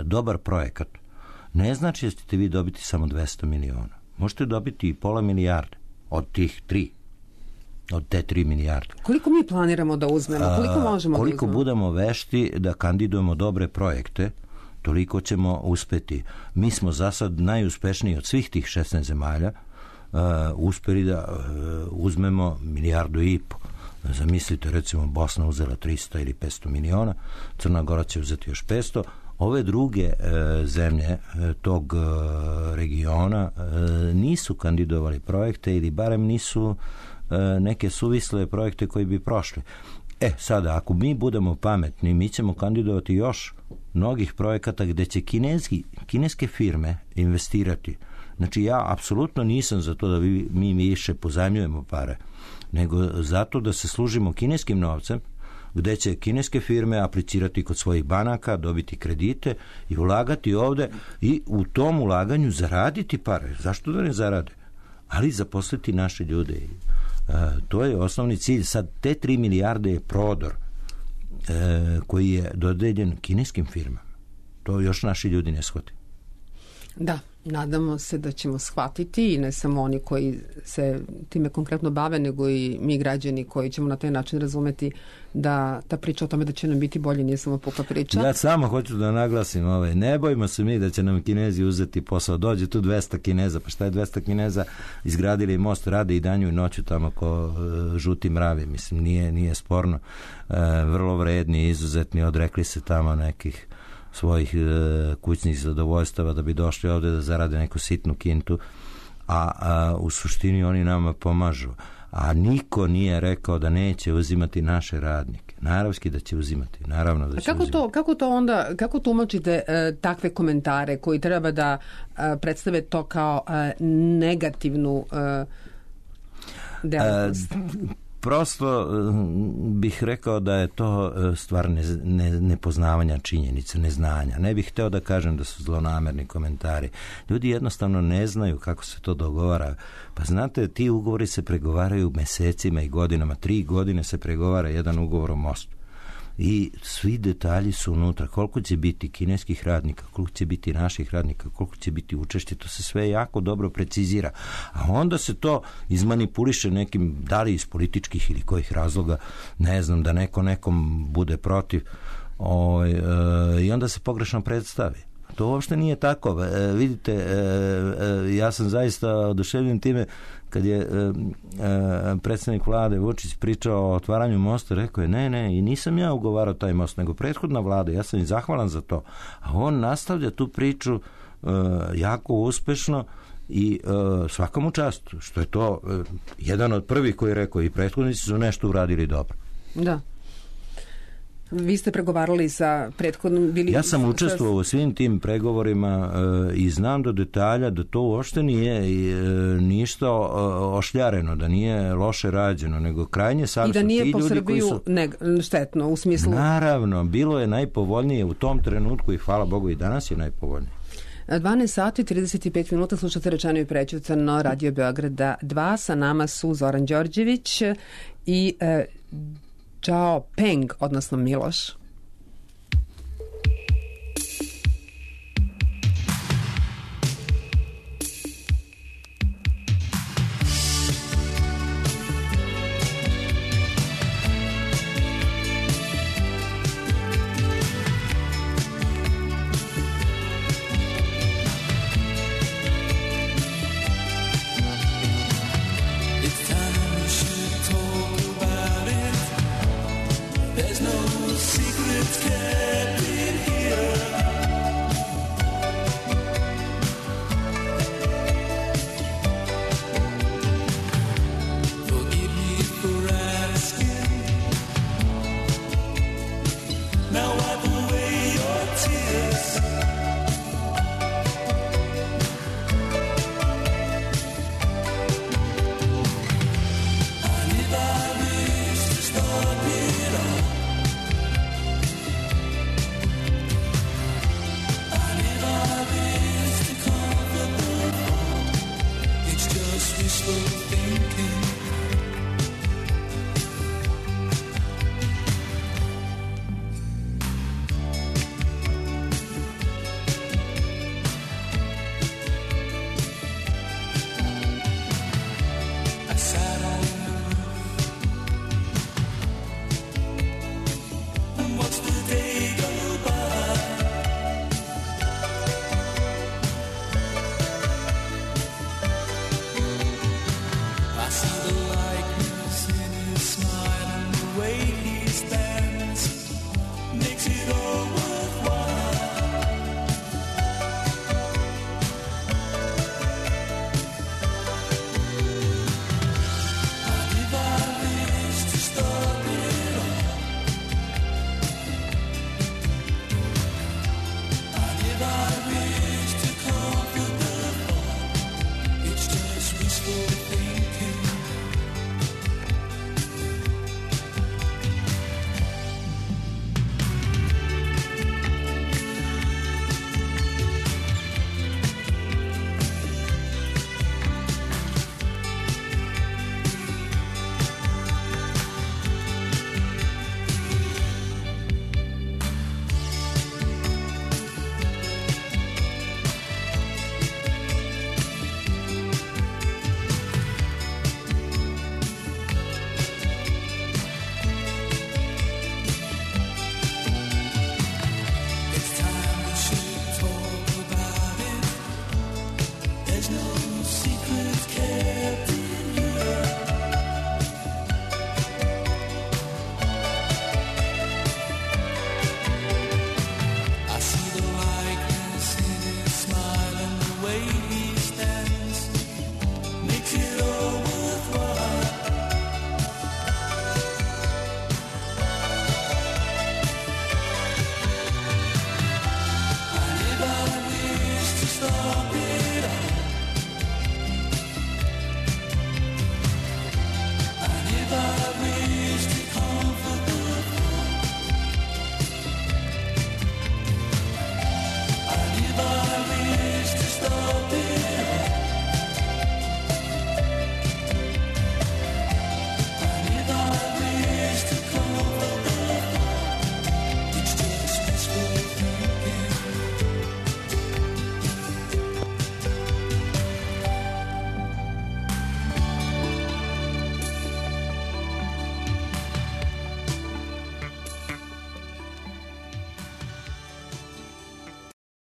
dobar projekat, ne znači da ćete vi dobiti samo dvesta miliona. Možete dobiti i pola milijarde od tih tri. Od te tri milijarde. Koliko mi planiramo da uzmemo? Koliko možemo A, koliko da uzmemo? budemo vešti da kandidujemo dobre projekte, toliko ćemo uspeti. Mi smo za sad najuspešniji od svih tih šesnaest zemalja uh, uspeli da uh, uzmemo milijardu i po. Zamislite, recimo, Bosna uzela trista ili petsto miliona, Crna Gora će uzeti još petsto. Ove druge uh, zemlje uh, tog uh, regiona uh, nisu kandidovali projekte ili barem nisu uh, neke suvisle projekte koji bi prošli. E, sada, ako mi budemo pametni, mi ćemo kandidovati još mnogih projekata gde će kineski, kineske firme investirati. Znači, ja apsolutno nisam za to da vi, mi više pozajmljujemo pare, nego zato da se služimo kineskim novcem, gde će kineske firme aplicirati kod svojih banaka, dobiti kredite i ulagati ovde i u tom ulaganju zaraditi pare. Zašto da ne zarade? Ali zaposliti naše ljude. Uh, to je osnovni cilj. Sad te tri milijarde je prodor uh, koji je dodeljen kineskim firmama. To još naši ljudi ne shvate. Da, nadamo se da ćemo shvatiti i ne samo oni koji se time konkretno bave, nego i mi građani koji ćemo na taj način razumeti da ta priča o tome da će nam biti bolje nije samo puka priča. Ja samo hoću da naglasim, ovaj, ne bojimo se mi da će nam Kinezi uzeti posao. Dođe tu dvesta Kineza, pa šta je dvesta Kineza? Izgradili most, rade i danju i noću tamo ko uh, žuti mravi. Mislim, nije, nije sporno. Uh, vrlo vredni, izuzetni, odrekli se tamo nekih svojih uh, kućnih zadovoljstava da bi došli ovde da zarade neku sitnu kintu. a, a u suštini oni nama pomažu. A niko nije rekao da neće uzimati naše radnike. Naravski da će uzimati, naravno da će a kako uzimati. To, kako to onda, kako tumačite e, takve komentare koji treba da e, predstave to kao e, negativnu e, delatnost? E, prosto bih rekao da je to stvar ne, ne, nepoznavanja činjenica, neznanja. Ne bih hteo da kažem da su zlonamerni komentari. Ljudi jednostavno ne znaju kako se to dogovara. Pa znate, ti ugovori se pregovaraju mesecima i godinama. Tri godine se pregovara jedan ugovor o mostu. I svi detalji su unutra. Koliko će biti kineskih radnika, koliko će biti naših radnika, koliko će biti učešće, to se sve jako dobro precizira. A onda se to izmanipuliše nekim, da li iz političkih ili kojih razloga, ne znam, da neko nekom bude protiv. O, e, I onda se pogrešno predstavi. To uopšte nije tako. E, vidite, e, e, ja sam zaista oduševljen time kad je e, e, predsjednik vlade Vučić pričao o otvaranju mosta, rekao je ne, ne, i nisam ja ugovarao taj most, nego prethodna vlada, ja sam i zahvalan za to. A on nastavlja tu priču e, jako uspešno i e, svakom častu, što je to e, jedan od prvih koji je rekao i prethodnici su nešto uradili dobro. Da. Vi ste pregovarali sa prethodnom... Bili ja sam učestvovao u svim tim pregovorima e, i znam do detalja da to uopšte nije e, ništa ošljareno, da nije loše rađeno, nego krajnje savjesno. I da nije ti po ljudi Srbiju koji su... neg- štetno u smislu... Naravno, bilo je najpovoljnije u tom trenutku i hvala Bogu i danas je najpovoljnije. dvanaest sati i trideset pet minuta slušate Rečeno i prećutano Radio Beograda dva. Sa nama su Zoran Đorđević i e, Zhao Peng, odnosno Miloš.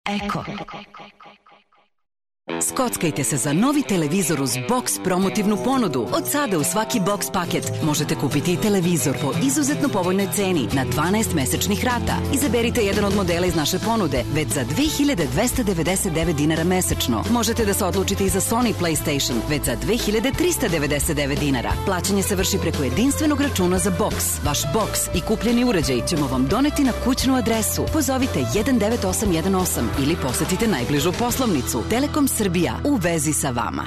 Eko. Skockajte se za novi televizor uz Box promotivnu ponudu. Od sada u svaki Box paket možete kupiti i televizor po izuzetno povoljnoj ceni na dvanaest mesečnih rata. Izaberite jedan od modela iz naše ponude već za dve hiljade dvesta devedeset devet dinara mesečno. Možete da se odlučite i za Sony PlayStation već za dve hiljade trista devedeset devet dinara. Plaćanje se vrši preko jedinstvenog računa za Box. Vaš Box i kupljeni uređaj ćemo vam doneti na kućnu adresu. Pozovite jedan devet osam jedan osam ili posetite najbližu poslovnicu. Telekom Srbija, u vezi sa vama.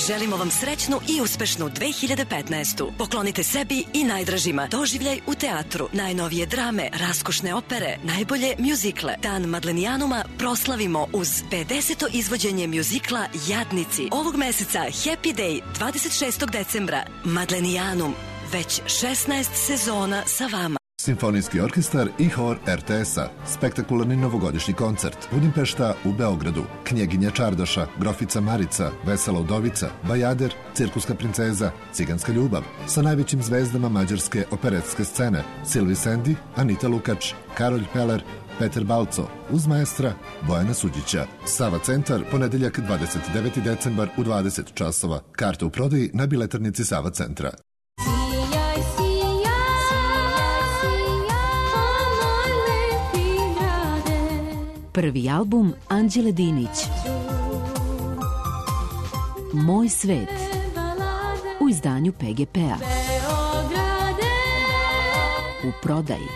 Želimo vam srećnu i uspešnu dve hiljade petnaestu. Poklonite sebi i najdražima doživljaj u teatru, najnovije drame, raskošne opere, najbolje mjuzikle. Dan Madlenijanuma proslavimo uz pedeseto izvođenje mjuzikla Jadnici. Ovog meseca Happy Day, dvadeset šestog decembra. Madlenijanum, već šesnaest sezona sa vama. Simfonijski orkestar i hor er te es-a. Spektakularni novogodišnji koncert. Budimpešta u Beogradu. Knjeginja Čardaša, Grofica Marica, Vesela udovica, Bajader, Cirkuska princeza, Ciganska ljubav. Sa najvećim zvezdama mađarske operetske scene. Silvi Sendi, Anita Lukač, Karolj Peler, Peter Balco, uz maestra Bojana Suđića. Sava centar, ponedeljak dvadeset deveti decembar u dvadeset časova. Karte u prodaji na biletarnici Sava centra. Prvi album Anđele Dinić. Moj svet. U izdanju pe ge pe-a. U prodaji.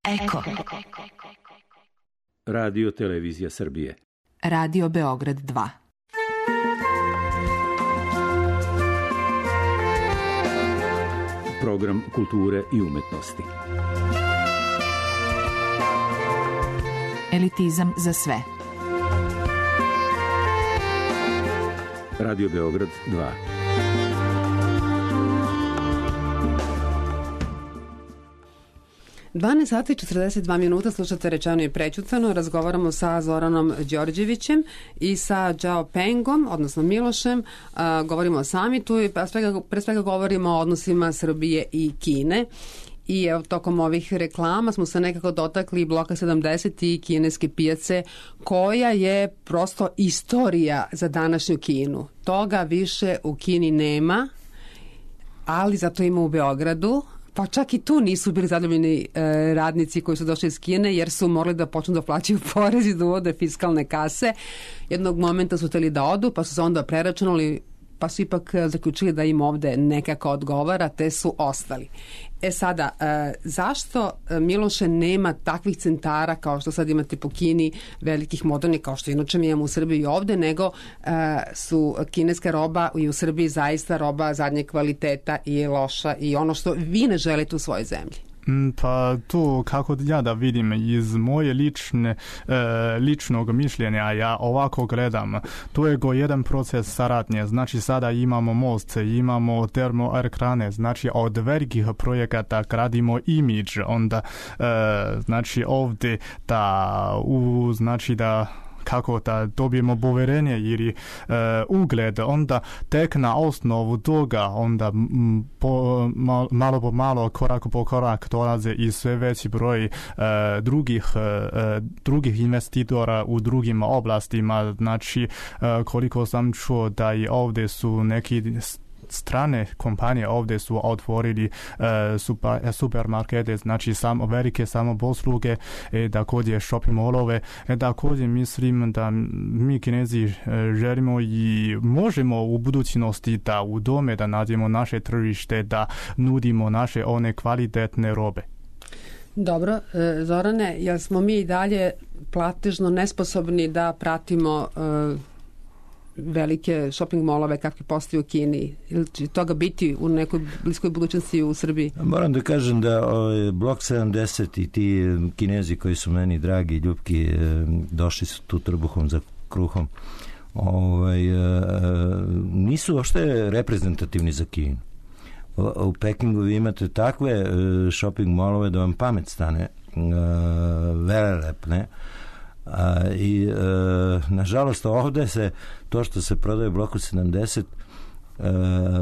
Eko. Radio Televizija Srbije. Radio Beograd dva. Program kulture i umetnosti. Elitizam za sve. Radio Beograd dva. dvanaest sati i četrdeset dva minuta, slušate Rečeno i prećutano. Razgovaramo sa Zoranom Đorđevićem i sa Džao Pengom, odnosno Milošem. A, govorimo o samitu i pre svega, pre svega govorimo o odnosima Srbije i Kine. I evo, tokom ovih reklama smo se nekako dotakli bloka sedamdeset i kineske pijace, koja je prosto istorija za današnju Kinu. Toga više u Kini nema, ali zato ima u Beogradu. Pa čak i tu nisu bili zadovoljni e, radnici koji su došli iz Kine, jer su morali da počnu da plaćaju porez i da uvode fiskalne kase. Jednog momenta su hteli da odu, pa su se onda preračunali, pa su ipak zaključili da im ovde nekako odgovara, te su ostali. E sada, e, zašto, Miloše, nema takvih centara kao što sad imate po Kini, velikih modernih, kao što inače mi imamo u Srbiji i ovde, nego e, su kineska roba i u Srbiji zaista roba zadnjeg kvaliteta i loša i ono što vi ne želite u svojoj zemlji? Pa to, kako ja da vidim iz moje lične, e, ličnog mišljenja, ja ovako gledam, to je go jedan proces saradnje. Znači sada imamo most, imamo termoelektrane, znači od velikih projekata gradimo imidž, onda e, znači ovdje da u, znači da kako da dobijemo poverenje ili e, ugled, onda tek na osnovu toga onda m, po, mal, malo po malo, korak po korak dolaze i sve veći broj e, drugih, e, drugih investitora u drugim oblastima. Znači e, koliko sam čuo da i ovdje su neki strane kompanije ovdje su otvorili e, super, supermarkete, znači samo velike samoposluge, e, također shopping mallove. E, također mislim da mi Kinezi e, želimo i možemo u budućnosti da u dome da nađemo naše tržište, da nudimo naše one kvalitetne robe. Dobro, e, Zorane, jel smo mi i dalje platežno nesposobni da pratimo e, velike shopping molove kakvi postoji u Kini? Ili će toga biti u nekoj bliskoj budućnosti u Srbiji? Moram da kažem da ovaj, blok sedamdeset i ti Kinezi koji su meni dragi i ljubki došli su tu trbuhom za kruhom, ovaj, nisu uopšte reprezentativni za Kinu. U Pekingu vi imate takve shopping molove da vam pamet stane, velelepne, A, I e, nažalost ovde se to što se prodaje u bloku sedamdeset e,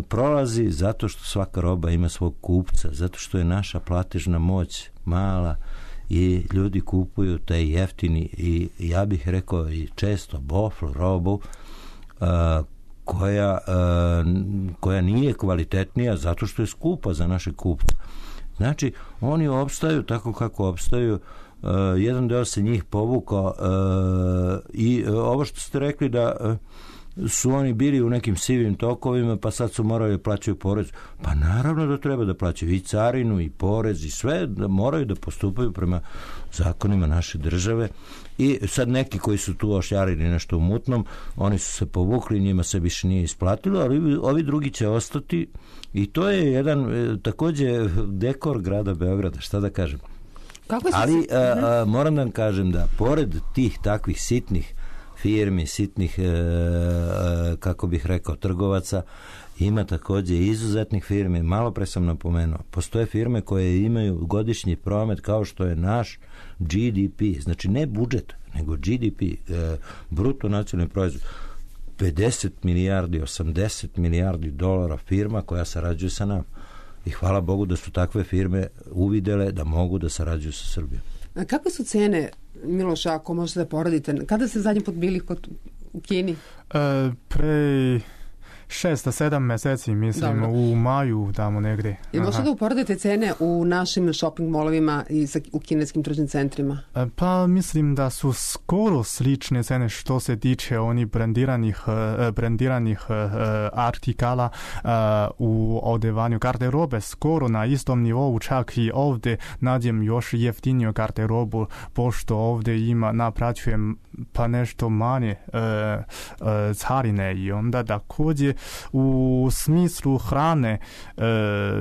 prolazi zato što svaka roba ima svog kupca, zato što je naša platežna moć mala i ljudi kupuju taj jeftini i ja bih rekao i često bofl robu a, koja, a, koja nije kvalitetnija zato što je skupa za naše kupce. Znači, oni opstaju tako kako opstaju. Uh, jedan deo se njih povukao uh, i uh, ovo što ste rekli da uh, su oni bili u nekim sivim tokovima pa sad su morali da plaćaju porez, pa naravno da treba da plaćaju i carinu i porez i sve, da moraju da postupaju prema zakonima naše države i sad neki koji su tu ošjarili nešto u mutnom, oni su se povukli, njima se više nije isplatilo, ali ovi drugi će ostati i to je jedan takođe dekor grada Beograda, šta da kažem. Ali a, a, moram da vam kažem da pored tih takvih sitnih firmi, sitnih e, e, kako bih rekao trgovaca, ima takođe izuzetnih firmi. Malo pre sam napomenuo, postoje firme koje imaju godišnji promet kao što je naš G D P, znači ne budžet, nego G D P, e, bruto nacionalni proizvod, pedeset milijardi, osamdeset milijardi dolara firma koja sarađuje sa nama. I hvala Bogu da su takve firme uvidele da mogu da sarađuju sa Srbijom. A kakve su cene, Miloša, ako možete da poradite? Kada ste zadnji put bili kod, u Kini? E, pre šest, sedam meseci, mislim, dobro. U maju tamo negde. I možete da uporedite cene u našim shopping molovima i u kineskim tržnim centrima? E, pa mislim da su skoro slične cene što se tiče onih brandiranih, brandiranih uh, artikala uh, u odevanju garderobe, skoro na istom nivou, čak i ovde nađem još jeftiniju garderobu, pošto ovde ima, napraćujem pa nešto manje uh, uh, carine i onda takođe u smislu hrane e,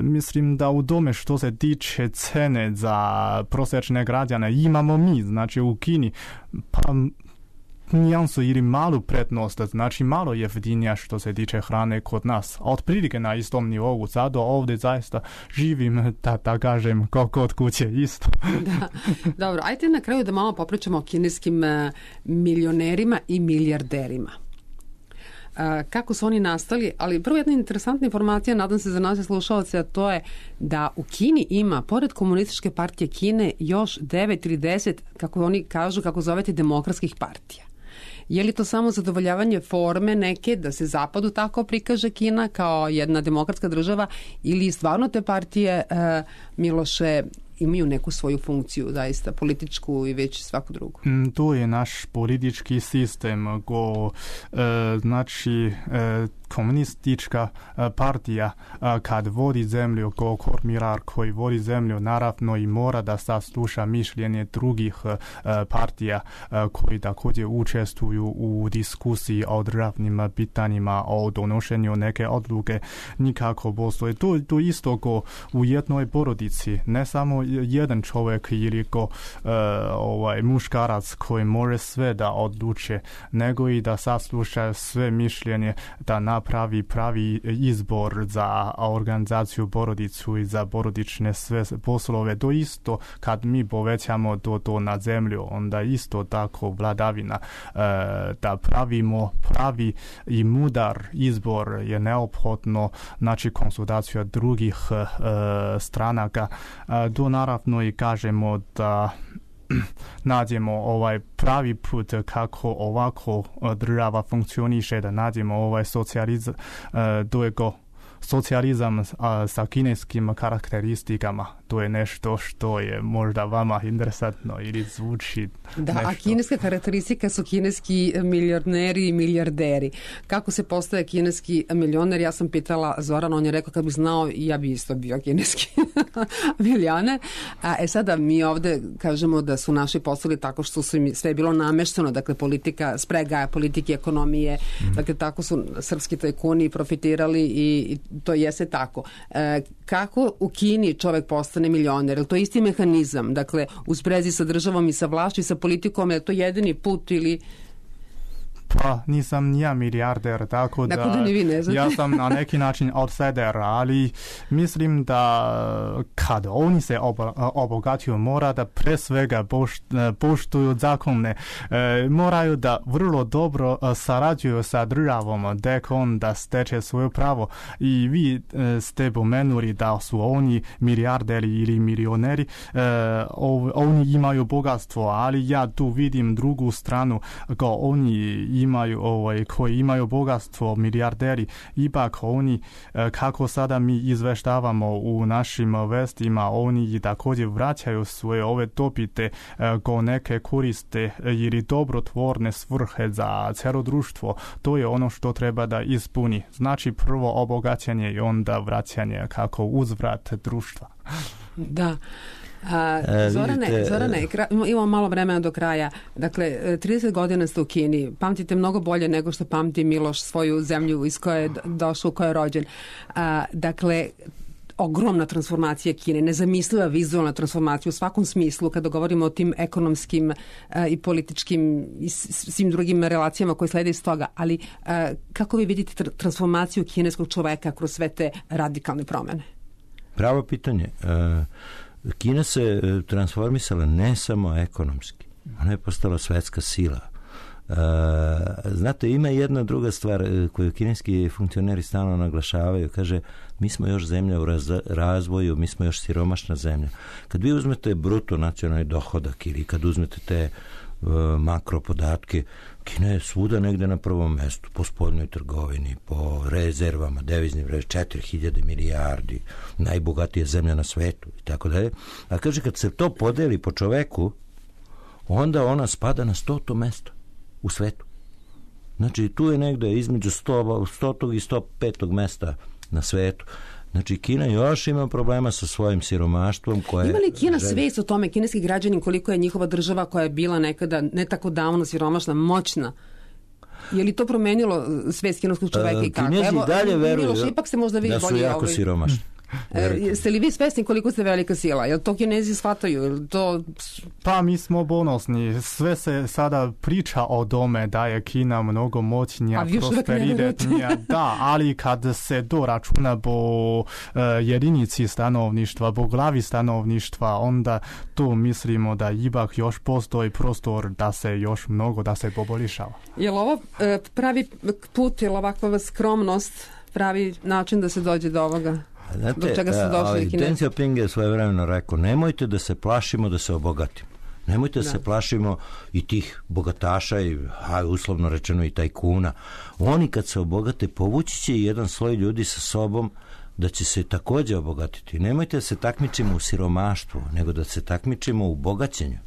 mislim da u tome što se tiče cene za prosječne građane imamo mi, znači u Kini pa nijansu ili malu prednost, znači malo jeftinija što se tiče hrane kod nas. Otprilike na istom nivou, zato ovdje zaista živim, da, da kažem, kao kod kuće isto. Da. Dobro, ajte na kraju da malo popričamo o kineskim uh, milionerima i milijarderima. Kako su oni nastali, ali prvo jedna interesantna informacija, nadam se za naše slušalce, a to je da u Kini ima, pored Komunističke partije Kine, još devet ili deset, kako oni kažu, kako zovete, demokratskih partija. Je li to samo zadovoljavanje forme neke, da se zapadu tako prikaže Kina kao jedna demokratska država, ili stvarno te partije, uh, Miloše, imaju neku svoju funkciju, zaista, političku i već svaku drugu? Mm, to je naš politički sistem, go, e, znači, e, komunistička partija kad vodi zemlju, ko kormirar koji vodi zemlju, naravno i mora da sasluša mišljenje drugih partija koji također učestvuju u diskusiji o državnim pitanjima, o donošenju neke odluke. Nikako postoje. To, to isto ko u jednoj porodici, ne samo jedan čovjek ili ko uh, ovaj, muškarac koji može sve da odluče, nego i da sasluša sve mišljenje, da napravi pravi izbor za organizaciju porodicu i za porodične sve poslove. To isto kad mi povećamo to, to na zemlju, onda isto tako vladavina uh, da pravimo pravi i mudar izbor je neophodno, znači konsultacija drugih uh, stranaka. Uh, to naravno i kažemo da nađemo ovaj pravi put kako ovako država funkcioniše, da nađemo ovaj socijalizam, to je go socijalizam a, sa kineskim karakteristikama. To je nešto što je možda vama interesantno ili zvuči da, nešto. A kineska karakteristika su kineski milioneri i milijarderi. Kako se postaje kineski milioner? Ja sam pitala Zorana, on je rekao kad bi znao, ja bi isto bio kineski milioner. A, e sada mi ovde kažemo da su naši postali tako što su im sve bilo namešteno, dakle politika, sprega politike, ekonomije, mm. dakle tako su srpski tajkuni profitirali i, i to jeste tako. E, kako u Kini čovek postane milioner? Je to isti mehanizam? Dakle, u sprezi sa državom i sa vlašću i sa politikom, je to jedini put ili... Pa nisam nija milijarder, tako da, dakle, da ne vi ne znate. Ja sam na neki način outsider, ali mislim da kad oni se obogaćuju, mora da pre svega poštuju zakone, e, moraju da vrlo dobro sarađuju sa državom, dek on da steče svoje pravo. I vi e, ste pomenuli da su oni milijarderi ili milioneri, e, oni imaju bogatstvo, ali ja tu vidim drugu stranu, ko oni imaju, ovaj, koji imaju bogatstvo, milijarderi, ipak oni, kako sada mi izveštavamo u našim vestima, oni također vraćaju svoje ove dobite ko neke koriste ili dobrotvorne svrhe za cijelo društvo. To je ono što treba da ispuni. Znači prvo obogaćenje i onda vraćanje kako uzvrat društva. Da. A, Zorane, vidite, Zorane, imamo malo vremena do kraja. Dakle, trideset godina ste u Kini. Pamtite mnogo bolje nego što pamti Miloš svoju zemlju iz koje je došao, u kojoj je rođen. A, dakle, ogromna transformacija Kine, nezamisliva vizualna transformacija u svakom smislu kada govorimo o tim ekonomskim a, i političkim i svim drugim relacijama koje slede iz toga. Ali a, kako vi vidite tr- transformaciju kineskog čoveka kroz sve te radikalne promene? Pravo pitanje. Uh... Kina se transformisala ne samo ekonomski, ona je postala svetska sila. E, znate, ima jedna druga stvar koju kineski funkcioneri stalno naglašavaju, kaže, mi smo još zemlja u raz, razvoju, mi smo još siromašna zemlja. Kad vi uzmete bruto nacionalni dohodak ili kad uzmete te e, makro podatke, Kina je svuda negde na prvom mestu, po spoljnoj trgovini, po rezervama, deviznim rezervama, četiri hiljade milijardi, najbogatija zemlja na svetu i tako dalje. A kaže, kad se to podeli po čoveku, onda ona spada na stoto mesto u svetu. Znači, tu je negde između stotog i sto petog mesta na svetu. Znači, Kina još ima problema sa svojim siromaštvom. Koje ima li Kina želi... svest o tome, kineski građani, koliko je njihova država koja je bila nekada ne tako davno siromašna, moćna? Je li to promenilo svest kineskog čoveka i kako? Kinezi Evo, dalje veruju Miloš, ipak se možda vidi da su bolje jako ovaj... siromašni. E, jeste li vi svesni koliko ste velika sila? Jel to Kinezi shvataju? Jel to... Pa mi smo ponosni. Sve se sada priča o tome da je Kina mnogo moćnija, prosperitetnija. Da, ali kad se to računa po uh, jedinici stanovništva, po glavi stanovništva, onda tu mislimo da ipak još postoji prostor da se još mnogo, da se poboljšava. Je li ovo uh, pravi put, je li ovakva skromnost pravi način da se dođe do ovoga? Znate, do čega su došli Kinezi? Deng Xiaoping je svojevremeno rekao, nemojte da se plašimo da se obogatimo. Nemojte da, da se plašimo i tih bogataša i a, uslovno rečeno i tajkuna. Oni kad se obogate, povući će jedan sloj ljudi sa sobom da će se također obogatiti. Nemojte da se takmičimo u siromaštvu, nego da se takmičimo u bogaćenju.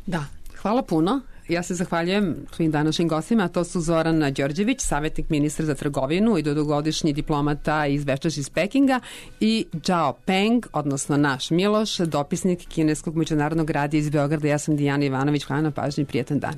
Da, hvala puno. Ja se zahvaljujem svim današnjim gostima, to su Zoran Đorđević, savjetnik ministra za trgovinu i dugogodišnji diplomata iz večas iz Pekinga, i Zhao Peng, odnosno naš Miloš, dopisnik Kineskog međunarodnog radija iz Beograda. Ja sam Dijana Ivanović, hvala na pažnji i prijetan dan.